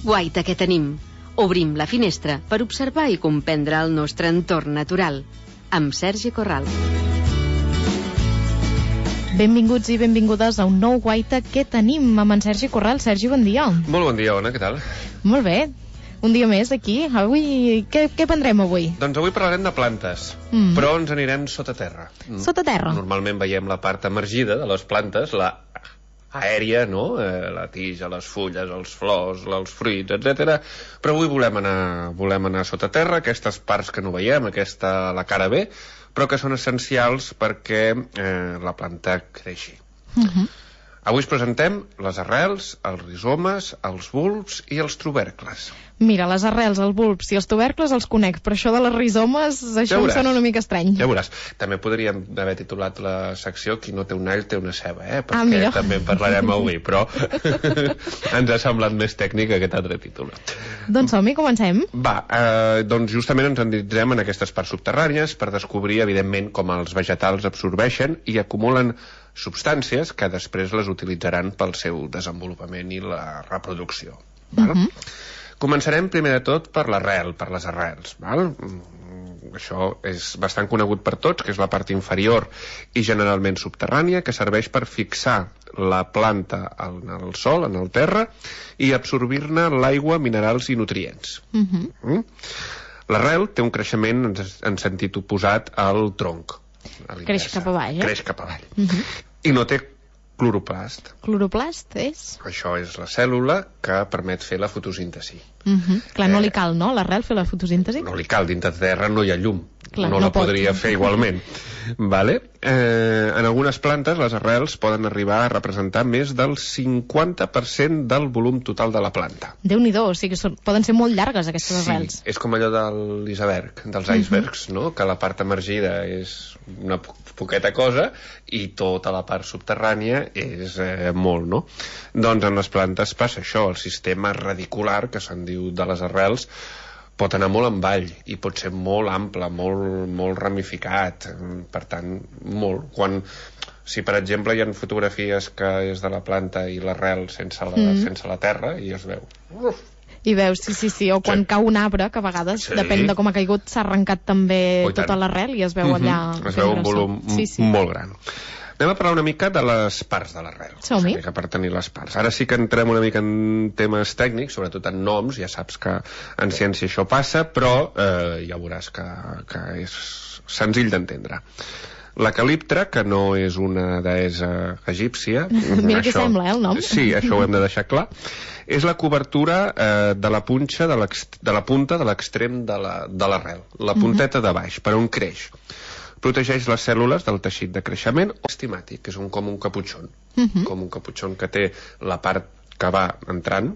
Guaita que tenim. Obrim la finestra per observar i comprendre el nostre entorn natural. Amb Sergi Corral. Benvinguts i benvingudes a un nou Guaita que tenim amb en Sergi Corral. Sergi, bon dia. Molt bon dia, Ona, què tal? Molt bé. Un dia més aquí. Avui, què prendrem avui? Doncs avui parlarem de plantes, però ens anirem sota terra. Sota terra? Normalment veiem la part emergida de les plantes, la aèria, no? La tija, les fulles, els flors, els fruits, etc. Però avui volem anar sota terra, aquestes parts que no veiem, la cara B, però que són essencials perquè la planta creixi. Avui us presentem les arrels, els rizomes, els bulbs i els tubercles. Mira, les arrels, els bulbs i els tubercles els conec, però això de les rizomes, això em sona una mica estrany. Ja veuràs. També podríem haver titulat la secció Qui no té un all té una ceba, perquè també en parlarem avui, però ens ha semblat més tècnic aquest altre títol. Doncs som-hi, comencem. Va, doncs justament ens endinsem en aquestes parts subterrànies per descobrir, evidentment, com els vegetals absorbeixen i acumulen substàncies que després les utilitzaran pel seu desenvolupament i la reproducció. Començarem primer de tot per l'arrel, per les arrels. Això és bastant conegut per tots, que és la part inferior i generalment subterrània, que serveix per fixar la planta en el sòl, en el terra, i absorbir-ne l'aigua, minerals i nutrients. L'arrel té un creixement en sentit oposat al tronc. Creix cap avall, Creix cap avall. I no té cloroplast. Cloroplast és? Això és la cèl·lula que permet fer la fotosíntesi. Clar, no li cal, no, l'arrel fer la fotosíntesi? No li cal, dintre de terra no hi ha llum. Clar, no la podria fer igualment. En algunes plantes les arrels poden arribar a representar més del 50% del volum total de la planta. Déu-n'hi-do, o sigui que poden ser molt llargues aquestes arrels. Sí, és com allò de l'iceberg, dels icebergs, no? Que la part emergida és una poqueta cosa i tota la part subterrània és molt, no? Doncs en les plantes passa això, el sistema radicular, que se'n diu de les arrels, pot anar molt en vall i pot ser molt ample, molt ramificat, per tant, molt. Si, per exemple, hi ha fotografies que és de la planta i l'arrel sense la terra i es veu. I veus, sí, o quan cau un arbre, que a vegades, depèn de com ha caigut, s'ha arrencat també tota l'arrel i es veu allà... Es veu un volum molt gran. Anem a parlar una mica de les parts de l'arrel. Som-hi. Per tenir les parts. Ara sí que entrem una mica en temes tècnics, sobretot en noms, ja saps que en ciència això passa, però ja veuràs que és senzill d'entendre. La caliptra, que no és una deessa egípcia... Mira què sembla, el nom. Sí, això ho hem de deixar clar. És la cobertura de la punta de l'extrem de l'arrel, la punteta de baix, per on creix. Protegeix les cèl·lules del teixit de creixement estimàtic, que és com un caputxon. Com un caputxon que té la part que va entrant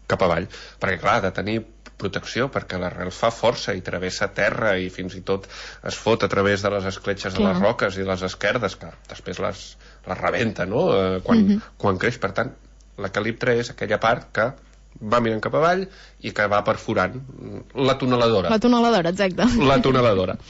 cap avall. Perquè, clar, ha de tenir protecció, perquè l'arrel fa força i travessa terra i fins i tot es fot a través de les escletxes de les roques i les esquerdes, que després les rebenta, no?, quan creix. Per tant, la caliptra és aquella part que va mirant cap avall i que va perforant. La tuneladora. La tuneladora, exacte. La tuneladora.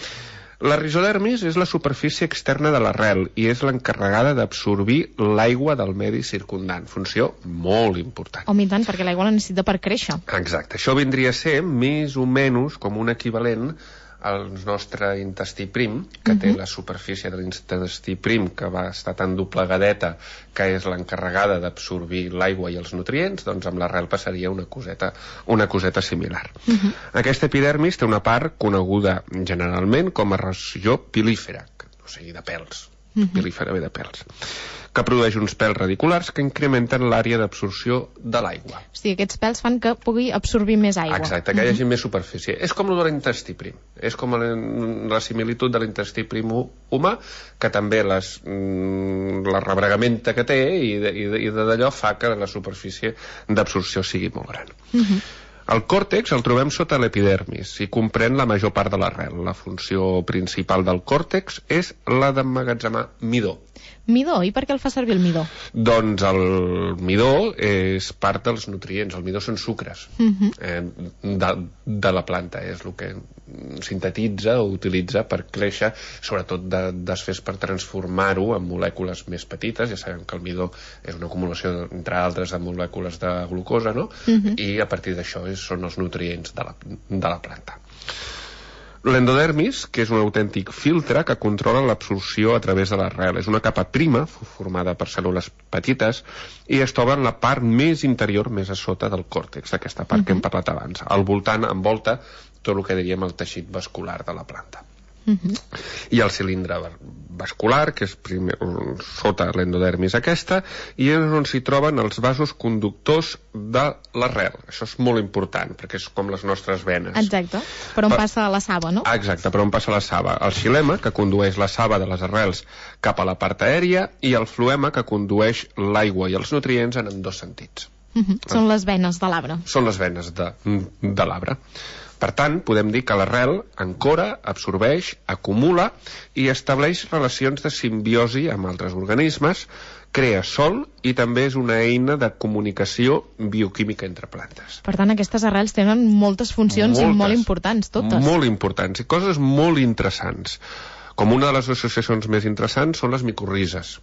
La rizodermis és la superfície externa de l'arrel i és l'encarregada d'absorbir l'aigua del medi circundant. Funció molt important. I tant, perquè l'aigua la necessita per créixer. Exacte. Això vindria a ser més o menys com un equivalent al nostre intestí prim, que té la superfície de l'intestí prim, que va estar tan doblegadeta, que és l'encarregada d'absorbir l'aigua i els nutrients, doncs amb l'arrel passaria una coseta similar. Aquesta epidermis té una part coneguda generalment com a regió pilífera, o sigui, de pèls. Pilífera ve de pèls, que produeix uns pèls radiculars que incrementen l'àrea d'absorció de l'aigua. O sigui, aquests pèls fan que pugui absorbir més aigua. Exacte, que hi hagi més superfície. És com el de l'intestí prim. És com la similitud de l'intestí prim humà, que també la rebregamenta que té i d'allò fa que la superfície d'absorció sigui molt gran. El còrtex el trobem sota l'epidermis i comprèn la major part de l'arrel. La funció principal del còrtex és la d'emmagatzemar midó. Midó, i per què el fa servir el midó? Doncs el midó és part dels nutrients. El midó són sucres de la planta, és el que sintetitza o utilitza per créixer, sobretot desfés per transformar-ho en molècules més petites. Ja sabem que el midó és una acumulació, entre altres, de molècules de glucosa, no? I a partir d'això són els nutrients de la planta. L'endodermis, que és un autèntic filtre que controla l'absorció a través de l'arrel. És una capa prima, formada per cèl·lules petites, i es troba en la part més interior, més a sota del còrtex, d'aquesta part que hem parlat abans. Al voltant envolta tot el que diríem el teixit vascular de la planta. I el cilindre vascular, que és sota l'endodermis aquesta, i és on s'hi troben els vasos conductors de l'arrel. Això és molt important, perquè és com les nostres venes. Exacte, per on passa la saba, no? Exacte, per on passa la saba. El xilema, que condueix la saba de les arrels cap a la part aèria, i el floema, que condueix l'aigua i els nutrients en ambdós sentits. Són les venes de l'arbre. Són les venes de l'arbre. Per tant, podem dir que l'arrel ancora, absorbeix, acumula i estableix relacions de simbiosi amb altres organismes, crea sol i també és una eina de comunicació bioquímica entre plantes. Per tant, aquestes arrels tenen moltes funcions i molt importants, totes. Molt importants i coses molt interessants. Com una de les associacions més interessants són les micorrizes.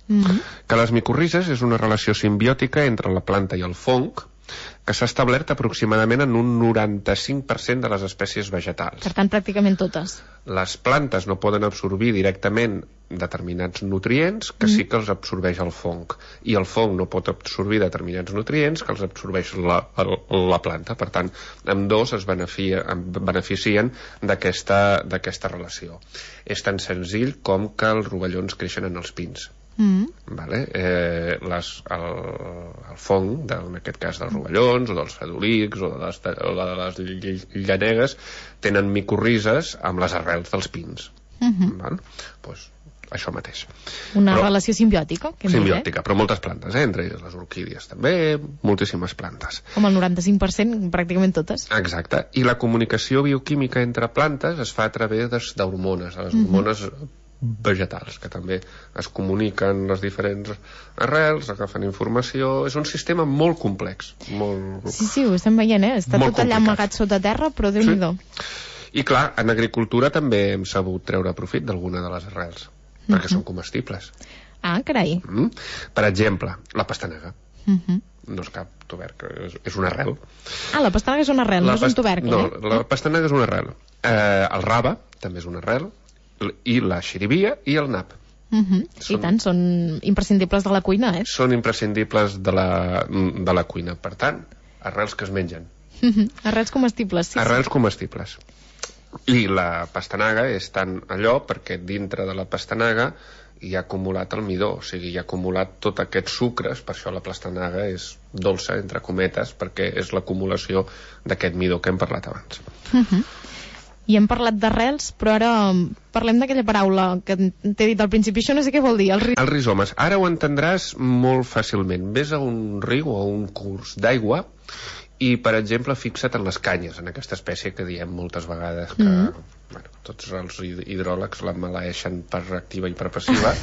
Que les micorrizes és una relació simbiòtica entre la planta i el fong, que s'ha establert aproximadament en un 95% de les espècies vegetals. Per tant, pràcticament totes. Les plantes no poden absorbir directament determinats nutrients que sí que els absorbeix el fong. I el fong no pot absorbir determinats nutrients que els absorbeix la planta. Per tant, ambdós es beneficien d'aquesta relació. És tan senzill com que els rovellons creixen en els pins. Vale? El fong, en aquest cas dels rovellons o dels fedolícs o de les llanegues, tenen micorrizes amb les arrels dels pins. Pues això mateix. Una relació simbiòtica. Simbiòtica, però moltes plantes, entre elles les orquídies també, moltíssimes plantes. Com el 95%, pràcticament totes. Exacte, i la comunicació bioquímica entre plantes es fa a través d'hormones, les hormones vegetals, que també es comuniquen les diferents arrels, agafen informació. És un sistema molt complex. Sí, ho estem veient, està tot allà amagat sota terra, però Déu-n'hi-do. I clar, en agricultura també hem sabut treure profit d'alguna de les arrels, perquè són comestibles. Ah, carai. Per exemple, la pastanaga. No és cap tubercle, és una arrel. Ah, la pastanaga és una arrel, no és un tubercle. No, la pastanaga és una arrel. El rave també és una arrel, i la xirivia i el nap. I tant, són imprescindibles de la cuina, Són imprescindibles de la cuina. Per tant, arrels que es mengen. Arrels comestibles, sí. Arrels comestibles. I la pastanaga és tant allò perquè dintre de la pastanaga hi ha acumulat el midó, o sigui, hi ha acumulat tots aquests sucres, per això la pastanaga és dolça, entre cometes, perquè és l'acumulació d'aquest midó que hem parlat abans. I hem parlat d'arrels, però ara parlem d'aquella paraula que t'he dit al principi. Això no sé què vol dir, els rizomes. Ara ho entendràs molt fàcilment. Ves a un riu o a un curs d'aigua i, per exemple, fixa't en les canyes, en aquesta espècie que diem moltes vegades que tots els hidròlegs la maleeixen per activa i per passiva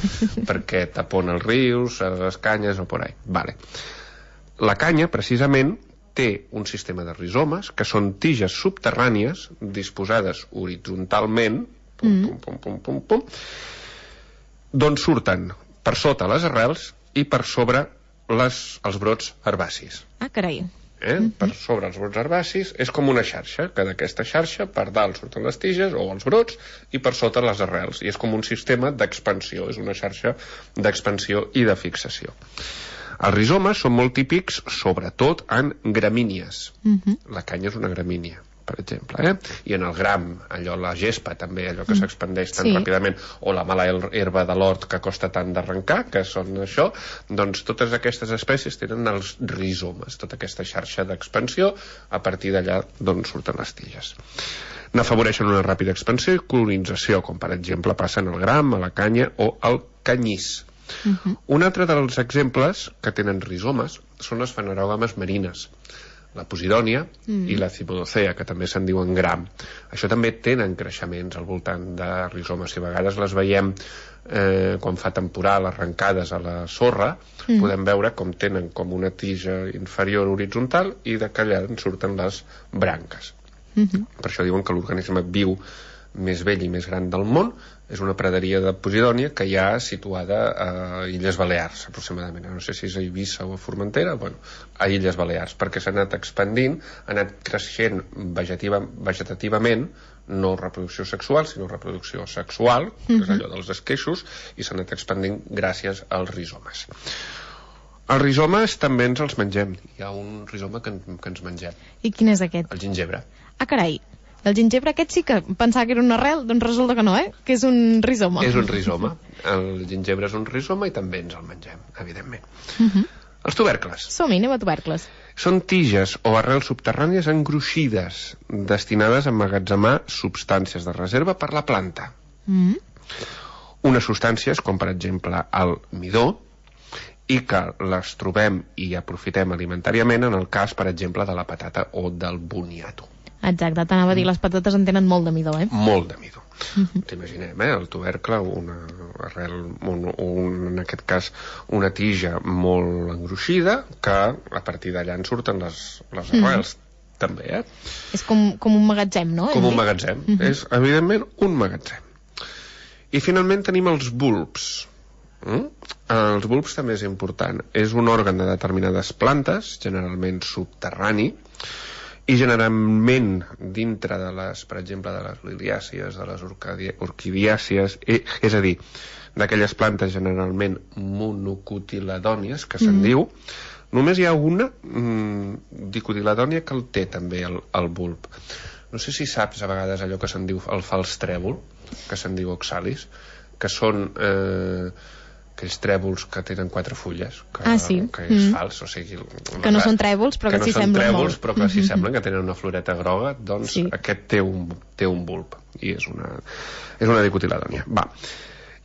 perquè tapona els rius, les canyes o por ahí. Vale. La canya, precisament, té un sistema de rizomes, que són tiges subterrànies disposades horitzontalment, d'on surten per sota les arrels i per sobre els brots herbacis. Ah, carai. Per sobre els brots herbacis és com una xarxa, que d'aquesta xarxa per dalt surten les tiges o els brots i per sota les arrels, i és com un sistema d'expansió, és una xarxa d'expansió i de fixació. Els rizomes són molt típics, sobretot en gramínies. La canya és una gramínia, per exemple, i en el gram, allò, la gespa també, allò que s'expandeix tan ràpidament, o la mala herba de l'hort que costa tant d'arrencar, que són això, doncs totes aquestes espècies tenen els rizomes, tota aquesta xarxa d'expansió, a partir d'allà d'on surten les tiges. N'afavoreixen una ràpida expansió i colonització, com per exemple passa en el gram, a la canya o al canyís. Un altre dels exemples que tenen rizomes són les fanerògames marines, la posidònia i la cimodocea, que també se'n diuen gram. Això també tenen creixements al voltant de rizomes, i a vegades les veiem quan fa temporal, arrencades a la sorra, podem veure com tenen com una tija inferior horitzontal i de allà en surten les branques. Per això diuen que l'organisme viu més vell i més gran del món és una praderia de Posidònia que hi ha situada a Illes Balears, aproximadament. No sé si és a Eivissa o a Formentera, a Illes Balears, perquè s'ha anat expandint, ha anat creixent vegetativament, no reproducció sexual, sinó reproducció sexual, que és allò dels esqueixos, i s'ha anat expandint gràcies als rizomes. Els rizomes també ens els mengem. Hi ha un rizoma que ens mengem. I quin és aquest? El gingebre. Ah, carai. El gingebre aquest sí que pensava que era una arrel, doncs resulta que no, que és un rizoma. És un rizoma. El gingebre és un rizoma i també ens el mengem, evidentment. Els tubercles. Som-hi, anem a tubercles. Són tiges o arrels subterrànies engruixides, destinades a emmagatzemar substàncies de reserva per la planta. Unes substàncies com, per exemple, el midó, i que les trobem i aprofitem alimentàriament en el cas, per exemple, de la patata o del boniato. Exacte, t'anava a dir, les patates en tenen molt de midó, Molt de midó. T'imaginem, el tubercle, una arrel, en aquest cas, una tija molt engruixida, que a partir d'allà en surten les arrels, també, És com un magatzem, no? Com un magatzem. És, evidentment, un magatzem. I finalment tenim els bulbs. Els bulbs també és important. És un òrgan de determinades plantes, generalment subterrani, i generalment dintre de les, per exemple, de les liliàcies, de les orquidiàcies, és a dir, d'aquelles plantes generalment monocotiledònies, que se'n diu, només hi ha una dicotiledònia que el té també el bulb. No sé si saps a vegades allò que se'n diu el fals trèvol, que se'n diu oxalis, que són aquells trèvols que tenen 4 fulles, que és fals, o sigui... Que no són trèvols, però que s'hi semblen molt. Però que s'hi semblen, que tenen una floreta groga, doncs aquest té un bulb, i és una dicotiledònia.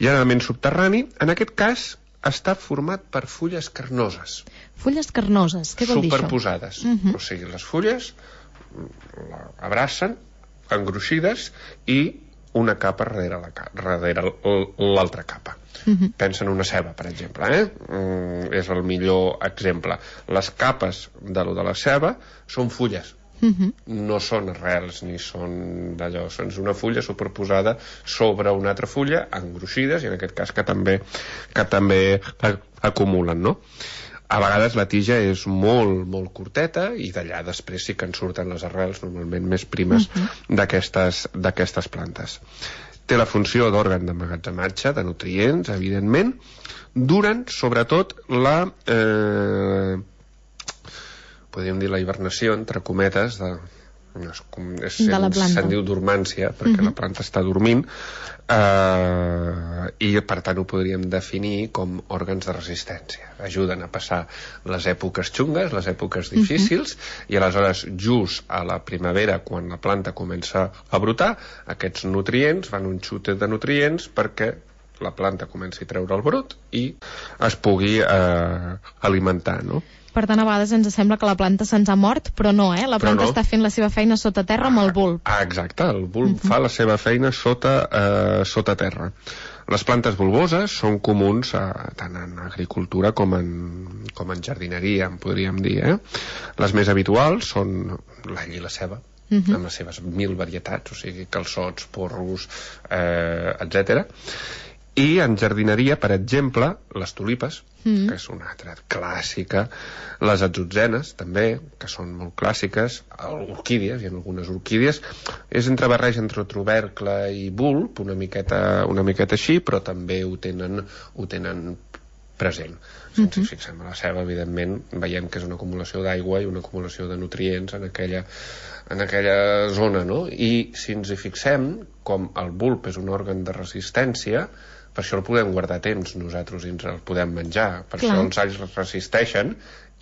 Generalment subterrani, en aquest cas està format per fulles carnoses. Fulles carnoses, què vol dir això? Superposades. O sigui, les fulles abracen, engruixides, i una capa darrere l'altra capa. Pensa en una ceba, per exemple, és el millor exemple. Les capes de la ceba són fulles, no són arrels ni són d'allò, és una fulla superposada sobre una altra fulla, engruixides, i en aquest cas que també acumulen, no? A vegades la tija és molt, molt curteta, i d'allà després sí que en surten les arrels, normalment més primes, d'aquestes plantes. Té la funció d'òrgan d'emmagatzematge de nutrients, evidentment, durant, sobretot, podríem dir la hibernació, entre cometes, se'n diu dormància, perquè la planta està dormint, i per tant ho podríem definir com òrgans de resistència. Ajuden a passar les èpoques xungues, les èpoques difícils, i aleshores just a la primavera, quan la planta comença a brotar, aquests nutrients van un xutet de nutrients perquè la planta comenci a treure el brot i es pugui alimentar, no? Per tant, a vegades ens sembla que la planta se'ns ha mort, però no, La planta està fent la seva feina sota terra amb el bulb. Exacte, el bulb fa la seva feina sota terra. Les plantes bulboses són comuns tant en agricultura com en jardineria, en podríem dir. Les més habituals són l'all i la ceba, amb les seves 1000 varietats, o sigui, calçots, porros, etc. I en jardineria, per exemple, les tulipes, que és una altra clàssica, les atzotzenes, també, que són molt clàssiques, orquídies, hi ha algunes orquídies, és barreja entre tubercle i bulb, una miqueta així, però també ho tenen present. Si ens fixem a la ceba, evidentment, veiem que és una acumulació d'aigua i una acumulació de nutrients en aquella zona, no? I si ens hi fixem, com el bulb és un òrgan de resistència, per això el podem guardar temps nosaltres i ens el podem menjar. Per això els alls resisteixen,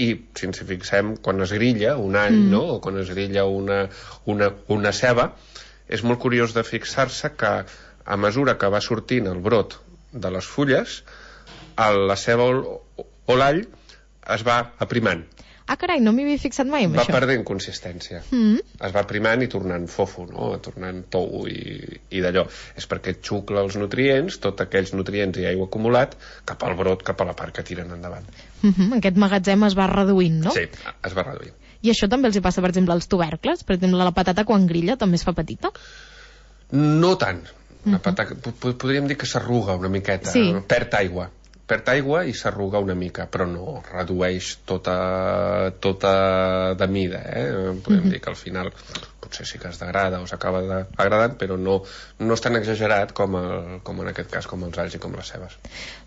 i si ens hi fixem, quan es grilla un all, no? O quan es grilla una ceba, és molt curiós de fixar-se que a mesura que va sortint el brot de les fulles, la ceba o l'all es va aprimant. Ah, carai, no m'hi havia fixat mai amb això. Va perdent consistència. Es va aprimant i tornant fofo, no? Tornant tou i d'allò. És perquè xucla els nutrients, tots aquells nutrients i aigua acumulat, cap al brot, cap a la part que tiren endavant. Aquest magatzem es va reduint, no? Sí, es va reduint. I això també els hi passa, per exemple, als tubercles? Per exemple, la patata quan grilla també es fa petita? No tant. La patata, podríem dir que s'arruga una miqueta, sí. Perd aigua i s'arruga una mica, però no redueix tota de mida, Podem dir que al final potser sí que es degrada o s'acaba degradant, però no és tan exagerat com en aquest cas, com els alls i com les cebes.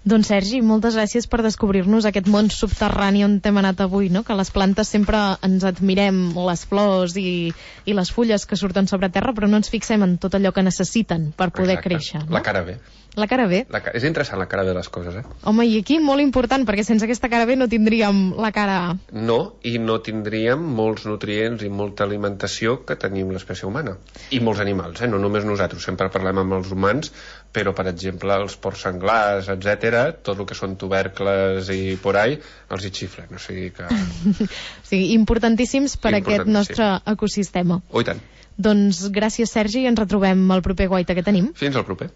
Doncs Sergi, moltes gràcies per descobrir-nos aquest món subterrani on hem anat avui, no? Que les plantes sempre ens admirem les flors i les fulles que surten sobre terra, però no ens fixem en tot allò que necessiten per poder créixer. No? La cara B. La cara B. És interessant la cara B de les coses, Home, i aquí molt important, perquè sense aquesta cara B no tindríem la cara A. No, i no tindríem molts nutrients i molta alimentació que tenim l'espècie humana. I molts animals, no només nosaltres. Sempre parlem amb els humans, però, per exemple, els porcs senglars, etc., tot el que són tubercles i por ahí, els hi xiflen. O sigui que... O sigui, importantíssims per aquest nostre ecosistema. Oh, i tant. Doncs gràcies, Sergi, i ens retrobem al proper Guaita que tenim. Fins al proper.